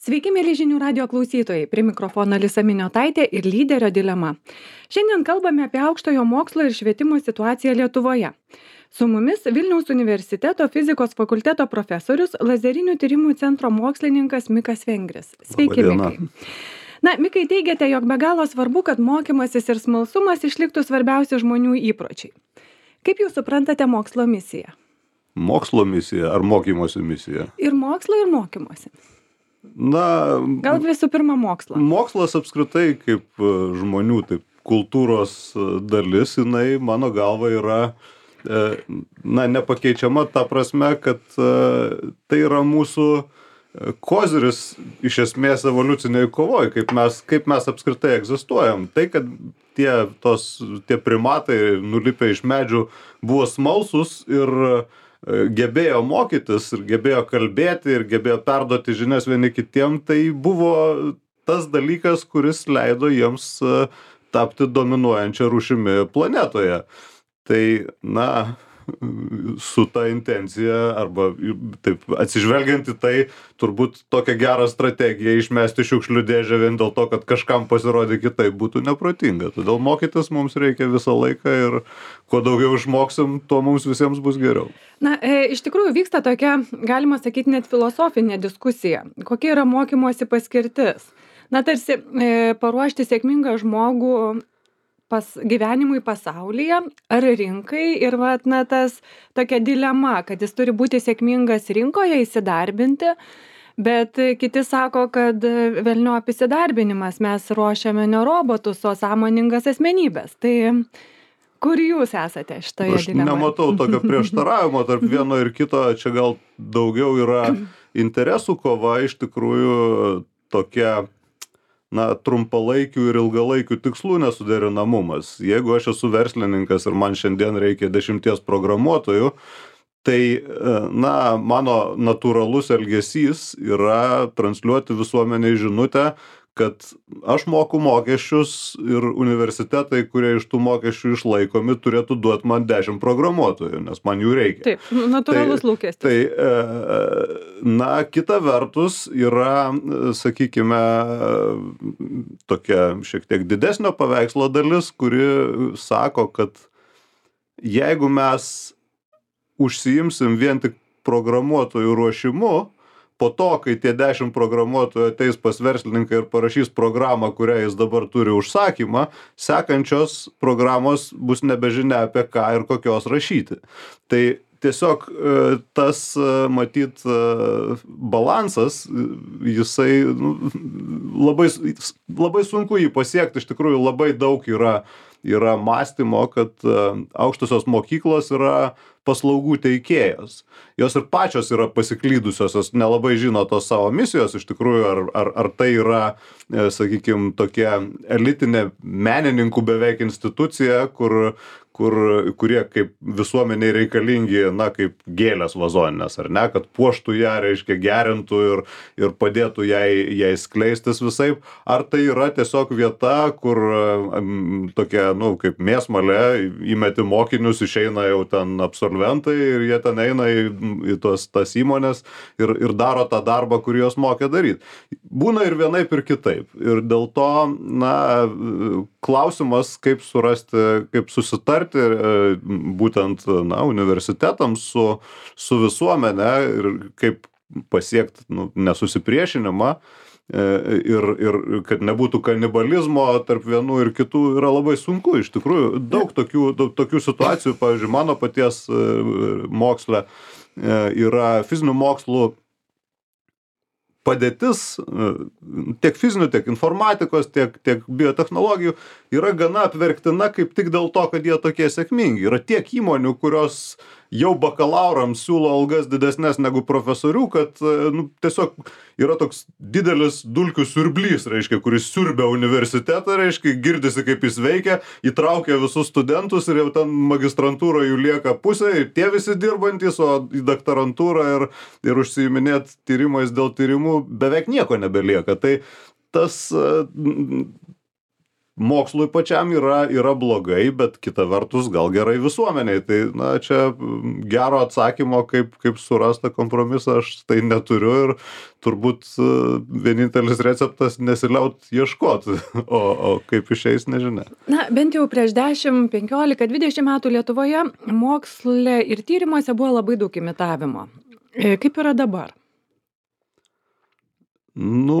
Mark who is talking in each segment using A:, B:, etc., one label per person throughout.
A: Sveiki, mėly žinių radio klausytojai. Prie mikrofono Alisa Miniotaitė ir lyderio dilema. Šiandien kalbame apie aukštojo mokslo ir švietimo situaciją Lietuvoje. Su mumis Vilniaus universiteto fizikos fakulteto profesorius, lazerinių tyrimų centro mokslininkas Mikas Vengris. Sveiki, Mikai. Mikai, teigiate, jog be galo svarbu, kad mokymasis ir smalsumas išliktų svarbiausi žmonių įpročiai. Kaip jūs suprantate mokslo misiją?
B: Mokslo misija ar mokymosi misija?
A: Ir mokslo, ir mokymosi. Gal visų pirma mokslo.
B: Mokslas apskritai kaip žmonių, taip kultūros dalis, jinai mano galva yra nepakeičiama ta prasme, kad tai yra mūsų koziris iš esmės evoliuciniai kovoj, kaip mes apskritai egzistuojam. Tai, kad tie primatai nulipę iš medžių buvo smalsūs ir gebėjo mokytis ir gebėjo kalbėti ir gebėjo perduoti žinias vieni kitiem, tai buvo tas dalykas, kuris leido jiems tapti dominuojančia rūšimi planetoje. Tai, su ta intencija arba taip atsižvelgiant į tai, turbūt tokia gera strategija išmesti šiukšlių dėžę vien dėl to, kad kažkam pasirodė kitaip būtų neprotinga. Todėl mokytis mums reikia visą laiką ir kuo daugiau išmoksim, tuo mums visiems bus geriau.
A: Iš tikrųjų vyksta tokia, galima sakyti, net filosofinė diskusija. Kokia yra mokymosi paskirtis? Tarsi paruošti sėkmingą žmogų gyvenimui pasaulyje ar rinkai ir tas tokia dilema, kad jis turi būti sėkmingas rinkoje, įsidarbinti, bet kiti sako, kad velniop įsidarbinimas, mes ruošiame ne robotus, o sąmoningas asmenybės. Tai kur jūs esate šitoje dilemoje?
B: Aš nematau tokio prieštaravimo tarp vieno ir kito, čia gal daugiau yra interesų kova, iš tikrųjų tokia trumpalaikių ir ilgalaikių tikslų nesuderinamumas. Jeigu aš esu verslininkas ir man šiandien reikia 10 programuotojų, tai mano natūralus elgesys yra transliuoti visuomeniai žinutę, kad aš moku mokesčius ir universitetai, kurie iš tų mokesčių išlaikomi, turėtų duoti man 10 programuotojų, nes man jų reikia.
A: Taip, natūralus lūkestis.
B: Tai, kita vertus yra, sakykime, tokia šiek tiek didesnio paveikslo dalis, kuri sako, kad jeigu mes užsiimsim vien tik programuotojų ruošimu, po to, kai tie 10 programuotojų ateis pas verslininką ir parašys programą, kurią jis dabar turi užsakymą, sekančios programos bus nebežinia apie ką ir kokios rašyti. Tai tiesiog tas, matyt, balansas, jisai labai sunku jį pasiekti, iš tikrųjų labai daug yra mąstymo, kad aukštosios mokyklos yra paslaugų teikėjos. Jos ir pačios yra pasiklydusios, jos nelabai žino tos savo misijos, iš tikrųjų, ar tai yra, sakykime, tokia elitinė menininkų beveik institucija, kurie kaip visuomeniai reikalingi, kaip gėlės vazoninės, ar ne, kad puoštų ją, reiškia, gerintų ir padėtų jai skleistis visaip. Ar tai yra tiesiog vieta, kur tokia, kaip mėsmalė, įmeti mokinius, išeina jau ten absolventai ir jie ten eina į tas įmonės ir daro tą darbą, kurį jos mokė daryti. Būna ir vienaip ir kitaip. Ir dėl to, klausimas, kaip surasti, kaip susitarti būtent universitetams su visuomenė ir kaip pasiekti nesusipriešinimą ir kad nebūtų kanibalizmo tarp vienų ir kitų yra labai sunku. Iš tikrųjų, daug tokių situacijų, pavyzdžiui, mano paties moksle yra fizinių mokslų padėtis, tiek fizinių, tiek informatikos, tiek biotechnologijų yra gana apverktina kaip tik dėl to, kad jie tokie sėkmingi. Yra tiek įmonių, kurios jau bakalaurams siūlo algas didesnės negu profesorių, kad tiesiog yra toks didelis dulkių siurblys, reiškia, kuris siurbia universitetą, reiškia, girdisi kaip jis veikia, įtraukia visus studentus ir jau ten magistrantūra jų lieka pusė ir tie visi dirbantys, o į daktarantūrą ir užsiiminėt tyrimais dėl tyrimų beveik nieko nebelieka. Tai tas mokslui pačiam yra blogai, bet kita vertus gal gerai visuomeniai. Tai, na, čia gero atsakymo, kaip surasta kompromisą, aš tai neturiu ir turbūt vienintelis receptas nesiliaut ieškot, o kaip išeis, nežinia.
A: Na, bent jau prieš 10, 15, 20 metų Lietuvoje moksle ir tyrimuose buvo labai daug imitavimo. Kaip yra dabar?
B: Nu,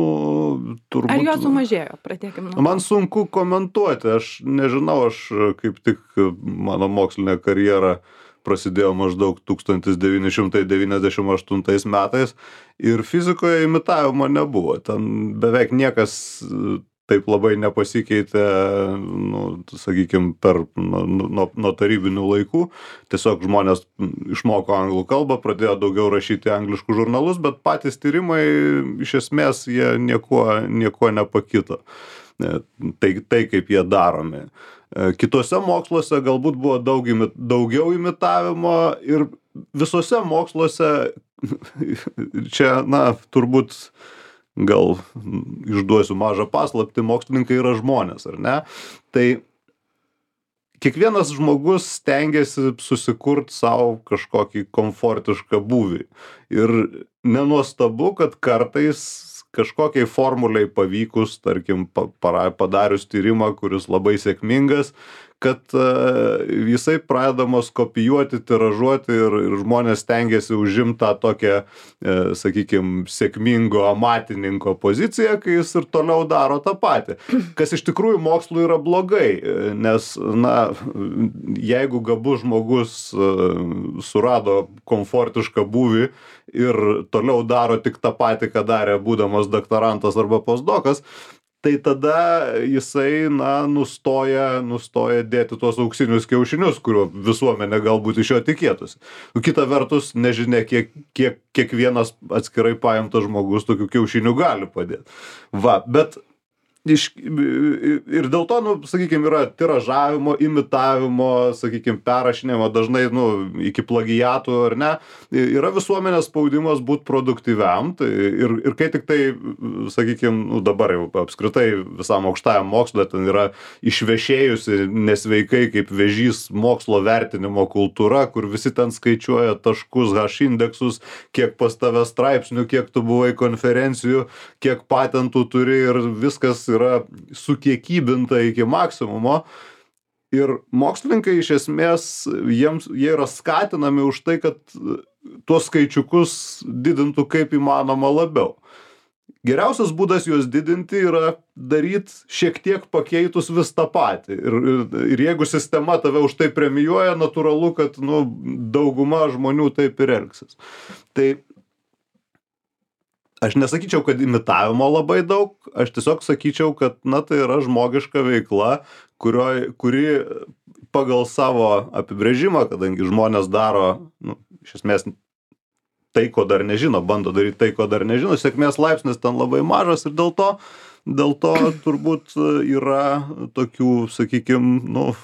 B: turbūt...
A: Ar jo sumažėjo? Pradėkim nuo.
B: Man sunku komentuoti, aš nežinau, aš kaip tik mano mokslinė karjera prasidėjo maždaug 1998 metais ir fizikoje imitavimo nebuvo. Ten beveik niekas taip labai nepasikeitė, nu, sakykime, nuo tarybinių laikų. Tiesiog žmonės išmoko anglų kalbą, pradėjo daugiau rašyti angliškus žurnalus, bet patys tyrimai iš esmės jie niekuo nepakito. Tai kaip jie daromi. Kitose moksluose galbūt buvo daugiau imitavimo ir visose moksluose čia, na, turbūt gal išduosiu mažą paslaptį, mokslininkai yra žmonės, ar ne? Tai kiekvienas žmogus stengiasi susikurt savo kažkokį komfortišką būvį. Ir nenuostabu, kad kartais kažkokiai formuliai pavykus, tarkim, padarius tyrimą, kuris labai sėkmingas, kad jisai pradedamas kopijuoti, tiražuoti ir žmonės stengiasi užimti tą tokią, sakykime, sėkmingo amatininko poziciją, kai jis ir toliau daro tą patį. Kas iš tikrųjų mokslui yra blogai, nes, na, jeigu gabus žmogus surado komfortišką būvį ir toliau daro tik tą patį, ką darė būdamas doktorantas arba postdokas, tai tada jisai, na, nustoja dėti tuos auksinius kiaušinius, kuriuo visuomenė galbūt iš jo tikėtųsi. Kita vertus, nežinia, kiek kiekvienas atskirai paimtas žmogus tokių kiaušinių gali padėti. Va, bet ir dėl to, nu, sakykime, yra tiražavimo, imitavimo, sakykime, perrašinimo, dažnai, nu, iki plagiatų, ar ne, yra visuomenės spaudimas būti produktyviam, tai ir kai tik tai, sakykime, nu, dabar jau apskritai visam aukštajam moksle ten yra išvešėjusi nesveikai kaip vėžys mokslo vertinimo kultūra, kur visi ten skaičiuoja taškus, H-indeksus, kiek pas tave straipsnių, kiek tu buvai konferencijų, kiek patentų turi ir viskas yra sukiekybinta iki maksimumo. Ir mokslininkai iš esmės, jie yra skatinami už tai, kad tuos skaičiukus didintų kaip įmanoma labiau. Geriausias būdas juos didinti yra daryti šiek tiek pakeitus vis tą patį. Ir jeigu sistema tave už tai premijuoja, natūralu, kad, nu, dauguma žmonių taip ir elgsis. Tai aš nesakyčiau, kad imitavimo labai daug, aš tiesiog sakyčiau, kad, na, tai yra žmogiška veikla, kuri pagal savo apibrėžimą, kadangi žmonės daro, nu, iš esmės tai, ko dar nežino, bando daryti tai, ko dar nežino, sėkmės laipsnis ten labai mažas ir dėl to turbūt yra tokių, sakykime, nu,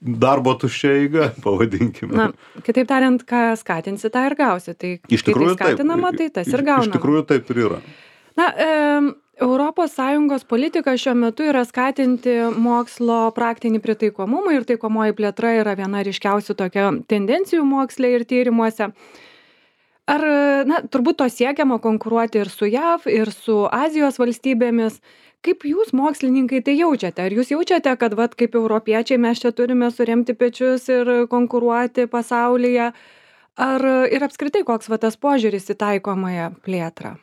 B: darbo tuščia eiga, pavadinkime.
A: Na, kitaip tariant, ką skatinsi, tą ir gausi. Tai
B: iš tikrųjų,
A: kai tai skatinama, tai tas ir gaunama.
B: Iš tikrųjų taip ir yra.
A: Na, ES politika šiuo metu yra skatinti mokslo praktinį pritaikomumą ir taikomoji plėtra yra viena ryškiausių tokio tendencijų moksle ir tyrimuose. Ar, na, turbūt to siekiama konkuruoti ir su JAV, ir su Azijos valstybėmis. Kaip jūs, mokslininkai, tai jaučiate? Ar jūs jaučiate, kad, vat, kaip europiečiai mes čia turime suremti pečius ir konkuruoti pasaulyje? Ar ir apskritai koks va tas požiūris į taikomąją plėtrą?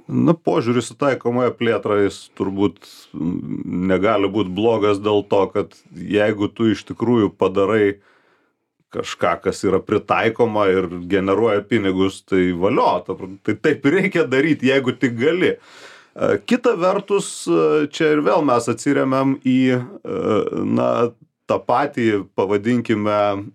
B: Na, požiūris į taikomąją plėtrą jis turbūt negali būti blogas dėl to, kad jeigu tu iš tikrųjų padarai kažką, kas yra pritaikoma ir generuoja pinigus, tai valio, tai taip reikia daryti, jeigu tik gali. Kita vertus, čia ir vėl mes atsiremiam į, na, tą patį, pavadinkime,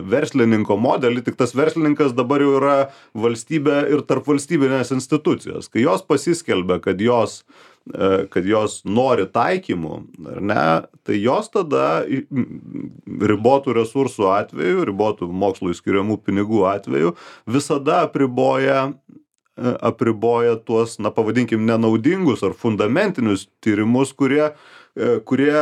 B: verslininko modelį, tik tas verslininkas dabar jau yra valstybė ir tarpvalstybinės institucijos. Kai jos pasiskelbia, kad jos nori taikymų, ar ne, tai jos tada ribotų resursų atveju, ribotų mokslui skiriamų pinigų atveju, visada apriboja tuos, na, pavadinkim, nenaudingus ar fundamentinius tyrimus, kurie kurie,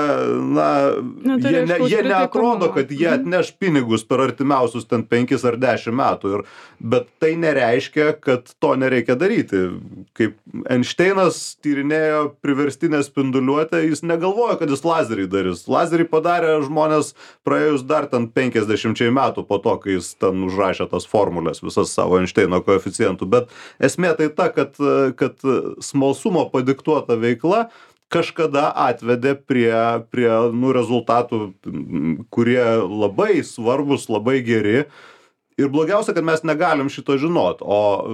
B: jie neatrodo, kad jie atneš pinigus per artimiausius ten 5 ar 10 metų. Bet tai nereiškia, kad to nereikia daryti. Kaip Einšteinas tyrinėjo priverstinę spinduliuotę, jis negalvojo, kad jis lazerį darys. Lazerį padarė žmonės praėjus dar ten 50 metų po to, kai jis ten užrašė tas formulės, visas savo Einšteino koeficientų. Bet esmė tai ta, kad smalsumo padiktuota veikla kažkada atvedė prie rezultatų, kurie labai svarbus, labai geri. Ir blogiausia, kad mes negalim šito žinot, o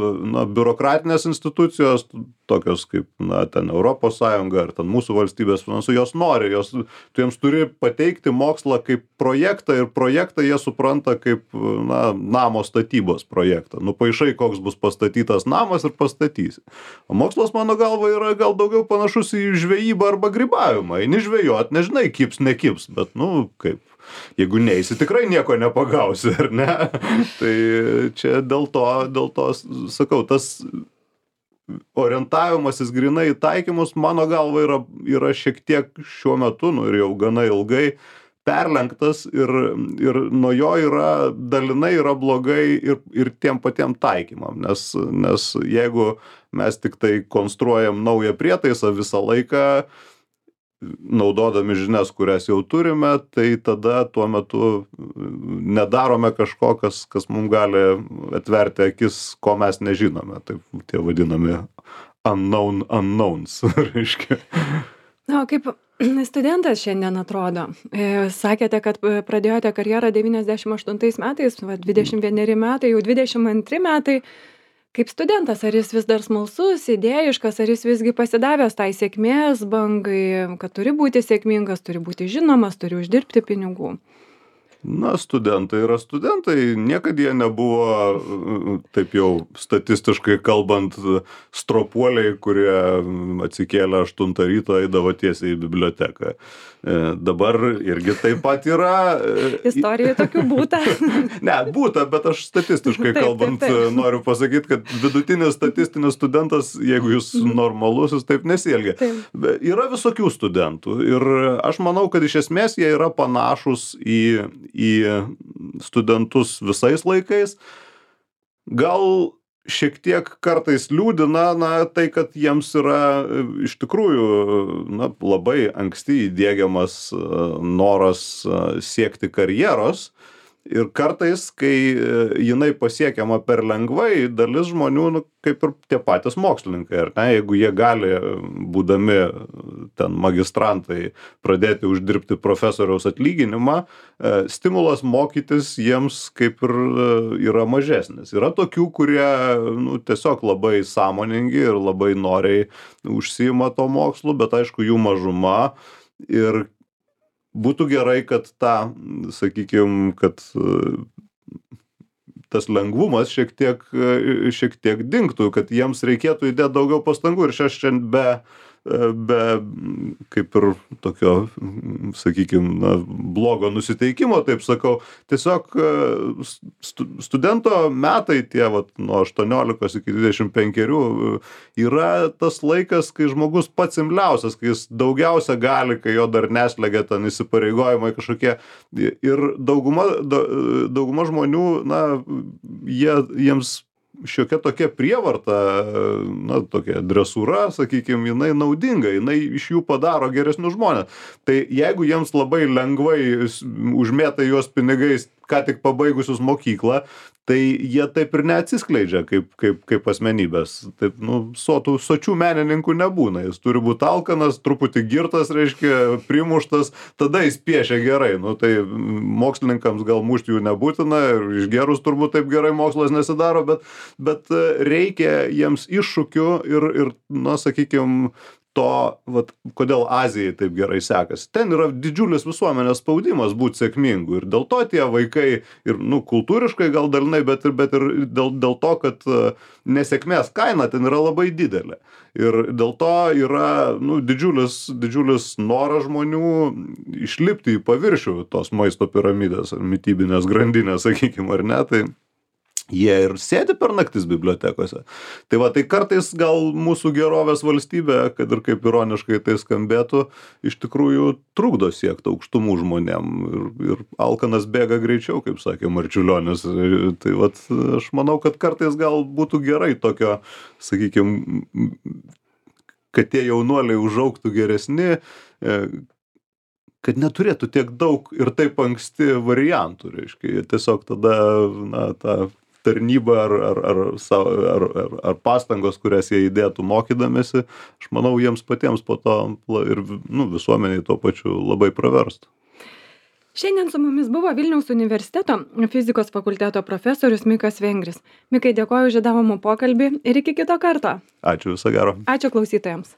B: biurokratinės institucijos, tokios kaip ten Europos Sąjunga ar ten mūsų valstybės finansų, jos nori, tu jiems turi pateikti mokslą kaip projektą ir projektą jie supranta kaip namo statybos projektą. Nupaišai, koks bus pastatytas namas ir pastatysi. O mokslas, mano galva, yra gal daugiau panašus į žvejybą arba grybavimą. Eini žvejot, nežinai, kips, nekips, bet kaip. Jeigu neisi, tikrai nieko nepagausi, ar ne? Tai čia dėl to, sakau, tas orientavimasis grinai į taikymus, mano galva, yra šiek tiek šiuo metu, ir jau gana ilgai, perlenktas ir nuo jo dalinai yra blogai ir tiem patiem taikymam, nes jeigu mes tik tai konstruojam naują prietaisą visą laiką, naudodami žinias, kurias jau turime, tai tada tuo metu nedarome kažko, kas mums gali atverti akis, ko mes nežinome. Taip tie vadinami unknowns, reiškia.
A: Na, kaip studentas šiandien atrodo? Sakėte, kad pradėjote karjerą 98 metais, 21 metai, jau 22 metai. Kaip studentas, ar jis vis dar smalsus, idėjiškas, ar jis visgi pasidavęs tai sėkmės bangai, kad turi būti sėkmingas, turi būti žinomas, turi uždirbti pinigų?
B: Studentai yra studentai, niekad jie nebuvo, taip jau statistiškai kalbant, stropuoliai, kurie atsikėlė 8 ryto, eidavo tiesiai į biblioteką. Dabar irgi taip pat yra.
A: Istorijoje tokių būta?
B: Ne, būta, bet aš statistiškai kalbant noriu pasakyti, kad vidutinis statistinis studentas, jeigu jis normalus, jis taip nesielgia. Yra visokių studentų ir aš manau, kad iš esmės jie yra panašus į studentus visais laikais. Gal šiek tiek kartais liūdina tai, kad jiems yra iš tikrųjų labai anksti įdiegiamas noras siekti karjeros. Ir kartais, kai jinai pasiekiama per lengvai, dalis žmonių, kaip ir tie patys mokslininkai, ar ne, jeigu jie gali, būdami ten magistrantai, pradėti uždirbti profesoriaus atlyginimą, stimulas mokytis jiems kaip ir yra mažesnis. Yra tokių, kurie tiesiog labai sąmoningi ir labai noriai užsiima to mokslu, bet aišku, jų mažuma. Ir būtų gerai, kad kad tas lengvumas šiek tiek dingtų, kad jiems reikėtų įdėti daugiau pastangų. Ir šiandien be kaip ir tokio, blogo nusiteikimo, taip sakau, tiesiog studento metai tie nuo 18 iki 25 yra tas laikas, kai žmogus pats imliausias, kai jis daugiausia gali, kai jo dar neslegia ten įsipareigojimai kažkokie. Ir dauguma žmonių, jiems šiokia tokia prievarta, tokia dresūra, jinai naudinga, jinai iš jų padaro geresnius žmonės. Tai jeigu jiems labai lengvai užmėta juos pinigais, ką tik pabaigusius mokyklą, tai jie taip ir neatsiskleidžia kaip asmenybės. Taip, sočių menininkų nebūna. Jis turi būti alkanas, truputį girtas, reiškia, primuštas, tada jis piešia gerai. Tai mokslininkams gal mušti jų nebūtina, ir išgerus turbūt taip gerai mokslas nesidaro, bet reikia jiems iššūkių ir sakykime, to, kodėl Azijai taip gerai sekasi. Ten yra didžiulis visuomenės spaudimas būti sėkmingu. Ir dėl to tie vaikai, ir kultūriškai gal dalinai, bet ir dėl to, kad nesėkmės kaina ten yra labai didelė. Ir dėl to yra didžiulis noras žmonių išlipti į paviršių tos maisto piramidės ar mitybinės grandinės, sakykime, ar ne. Tai jie ir sėdi per naktis bibliotekose. Tai va, tai kartais gal mūsų gerovės valstybė, kad ir kaip ironiškai tai skambėtų, iš tikrųjų trukdo siekti aukštumų žmonėm. Ir alkanas bėga greičiau, kaip sakė Marčiulionis. Tai va, aš manau, kad kartais gal būtų gerai tokio, sakykime, kad tie jaunuoliai užaugtų geresni, kad neturėtų tiek daug ir taip anksti variantų, reiškia. Tiesiog tada, na, ta tarnyba ar pastangos, kurias jie įdėtų mokydamėsi, aš manau, jiems patiems po to ir visuomeniai tuo pačiu labai praverstų.
A: Šiandien su mumis buvo Vilniaus universiteto fizikos fakulteto profesorius Mikas Vengris. Mikai, dėkoju už įdomų pokalbį ir iki kito karto.
B: Ačiū, viso gero.
A: Ačiū klausytojams.